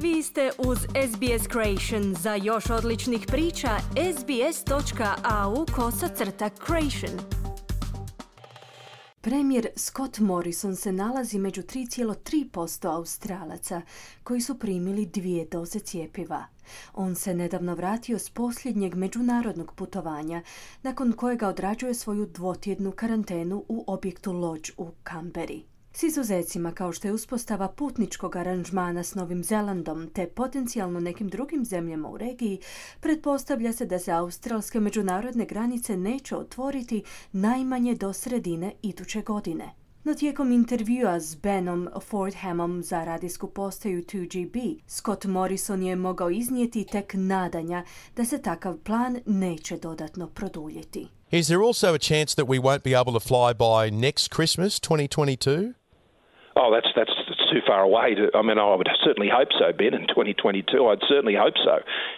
Vi ste uz SBS Creation. Za još odličnih priča, sbs.au/creation. Premijer Scott Morrison se nalazi među 3,3% Australaca koji su primili 2 doze cjepiva. On se nedavno vratio s posljednjeg međunarodnog putovanja, nakon kojega odrađuje svoju 2-tjednu karantenu u objektu Lodge u Canberri. S izuzecima kao što je uspostava putničkog aranžmana s Novim Zelandom te potencijalno nekim drugim zemljama u regiji, pretpostavlja se da se australske međunarodne granice neće otvoriti najmanje do sredine iduće godine. No tijekom intervjua s Benom Fordhamom za radijsku postaju 2GB, Scott Morrison je mogao iznijeti tek nadanja da se takav plan neće dodatno produljiti. Is there also a chance that we won't be able to fly by next Christmas, 2022? Oh, that's too far away. I would certainly hope so, Ben, in 2022. I'd certainly hope so.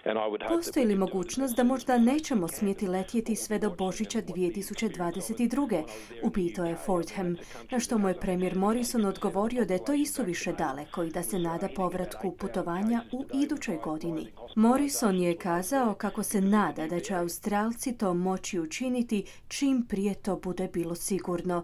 And I would hope. Postoji li mogućnost da možda nećemo smjeti letjeti sve do Božića 2022. upitao je Fordham, na što mu je premijer Morrison odgovorio da je to isuviše daleko i da se nada povratku putovanja u idućoj godini. Morrison je kazao kako se nada da će Australci to moći učiniti čim prije to bude bilo sigurno,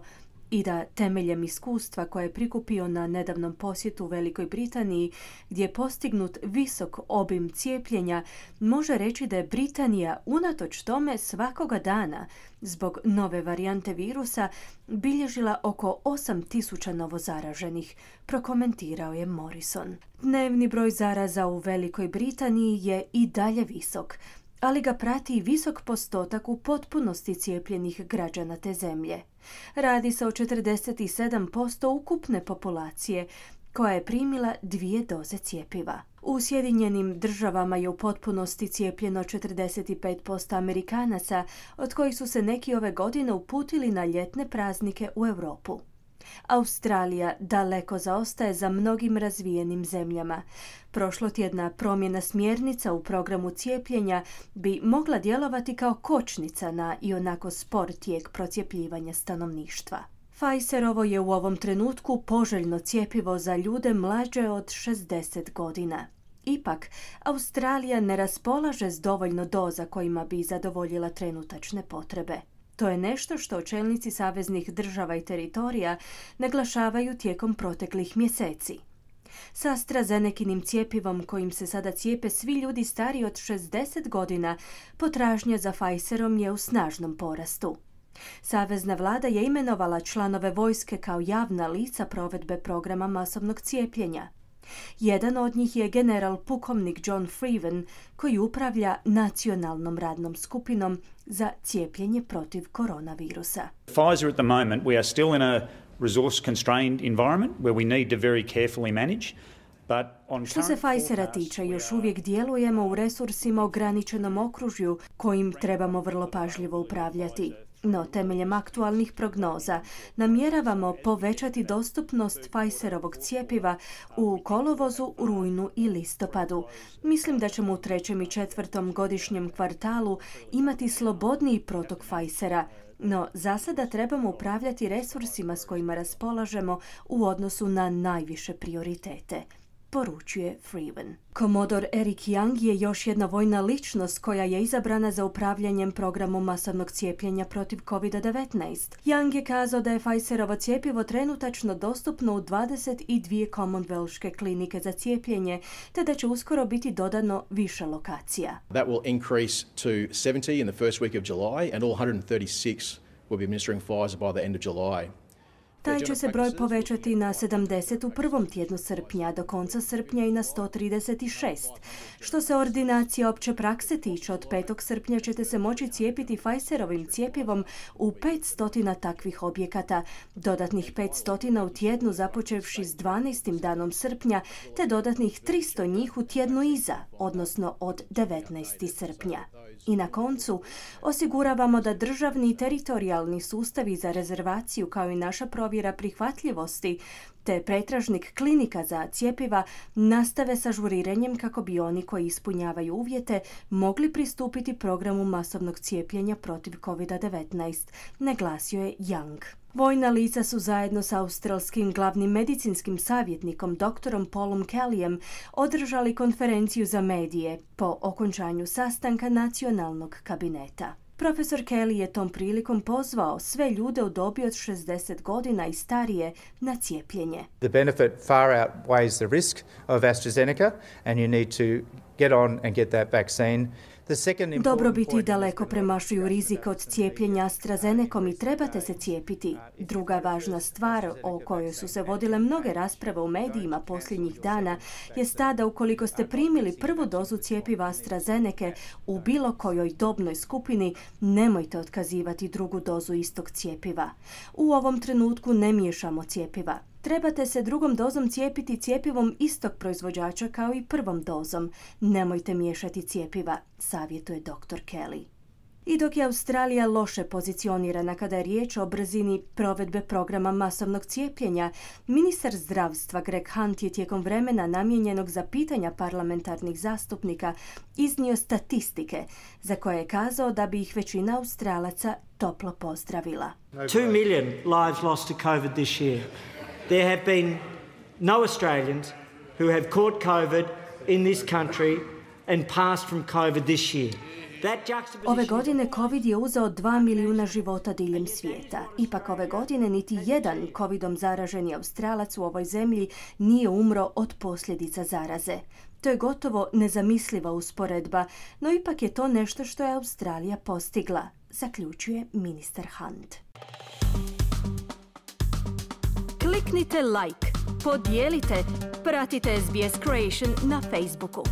i da temeljem iskustva koje je prikupio na nedavnom posjetu u Velikoj Britaniji, gdje je postignut visok obim cijepljenja, može reći da je Britanija unatoč tome svakoga dana zbog nove varijante virusa bilježila oko 8.000 novozaraženih, prokomentirao je Morrison. Dnevni broj zaraza u Velikoj Britaniji je i dalje visok, ali ga prati i visok postotak u potpunosti cijepljenih građana te zemlje. Radi se o 47% ukupne populacije koja je primila 2 doze cjepiva. U Sjedinjenim Državama je u potpunosti cijepljeno 45% Amerikanaca, od kojih su se neki ove godine uputili na ljetne praznike u Europu. Australija daleko zaostaje za mnogim razvijenim zemljama. Prošlotjedna promjena smjernica u programu cijepljenja bi mogla djelovati kao kočnica na ionako spor tijek procjepljivanja stanovništva. Pfizerovo je u ovom trenutku poželjno cjepivo za ljude mlađe od 60 godina. Ipak, Australija ne raspolaže s dovoljno doza kojima bi zadovoljila trenutačne potrebe. To je nešto što čelnici saveznih država i teritorija naglašavaju tijekom proteklih mjeseci. S AstraZenekinim cjepivom kojim se sada cijepe svi ljudi stariji od 60 godina, potražnja za Pfizerom je u snažnom porastu. Savezna vlada je imenovala članove vojske kao javna lica provedbe programa masovnog cijepljenja. Jedan od njih je general pukovnik John Freeman, koji upravlja nacionalnom radnom skupinom za cijepljenje protiv koronavirusa. Pfizer at the moment, we are still in a resource constrained environment where we need to very carefully manage. Što se Pfizera tiče, još uvijek djelujemo u resursima ograničenom okružju kojim trebamo vrlo pažljivo upravljati. No, temeljem aktualnih prognoza namjeravamo povećati dostupnost Pfizerovog cjepiva u kolovozu, rujnu i listopadu. Mislim da ćemo u 3. i 4. godišnjem kvartalu imati slobodniji protok Pfizera, no za sada trebamo upravljati resursima s kojima raspolažemo u odnosu na najviše prioritete, poručuje Freeman. Komodor Eric Young je još jedna vojna ličnost koja je izabrana za upravljanjem programom masovnog cijepljenja protiv COVID-19. Young je kazao da je Pfizerovo cjepivo trenutačno dostupno u 22 Commonwealthske klinike za cijepljenje, te da će uskoro biti dodano više lokacija. That will increase to 70 in the first week of July and all 136 will be administering Pfizer by the end of July. Taj će se broj povećati na 70 u prvom tjednu srpnja, do konca srpnja i na 136. Što se ordinacije opće prakse tiče, od 5. srpnja ćete se moći cijepiti Pfizerovim cjepivom u 500 takvih objekata, dodatnih 500 u tjednu započevši s 12. danom srpnja, te dodatnih 300 njih u tjednu iza, odnosno od 19. srpnja. I na koncu, osiguravamo da državni i teritorijalni sustavi za rezervaciju kao i naša provjera prihvatljivosti te pretražnik klinika za cjepiva nastave sa ažuriranjem kako bi oni koji ispunjavaju uvjete mogli pristupiti programu masovnog cijepljenja protiv COVID-19, naglasio je Young. Vojna lica su zajedno s australskim glavnim medicinskim savjetnikom dr. Paulom Kellyem održali konferenciju za medije po okončanju sastanka nacionalnog kabineta. Profesor Kelly je tom prilikom pozvao sve ljude u dobi od 60 godina i starije na cijepljenje. The benefit far outweighs the risk of AstraZeneca and you need to get on and get that vaccine. Dobrobiti daleko premašuju rizik od cijepljenja AstraZenecom i trebate se cijepiti. Druga važna stvar o kojoj su se vodile mnoge rasprave u medijima posljednjih dana je ta da ukoliko ste primili prvu dozu cjepiva AstraZenece u bilo kojoj dobnoj skupini, nemojte otkazivati drugu dozu istog cjepiva. U ovom trenutku ne miješamo cjepiva. Trebate se drugom dozom cijepiti cjepivom istog proizvođača kao i prvom dozom. Nemojte miješati cjepiva, savjetuje dr. Kelly. I dok je Australija loše pozicionirana kada je riječ o brzini provedbe programa masovnog cijepljenja, ministar zdravstva Greg Hunt je tijekom vremena namijenjenog za pitanja parlamentarnih zastupnika iznio statistike za koje je kazao da bi ih većina Australaca toplo pozdravila. 2 million lives lost to COVID this year. There have been no Australians who have caught COVID in this country and passed from COVID this year. Ove godine COVID je uzeo 2 milijuna života diljem svijeta. Ipak ove godine niti jedan COVIDom zaraženi Australac u ovoj zemlji nije umro od posljedica zaraze. To je gotovo nezamisliva usporedba, no ipak je to nešto što je Australija postigla, zaključuje ministar Hunt. Kliknite like, podijelite, pratite SBS Creation na Facebooku.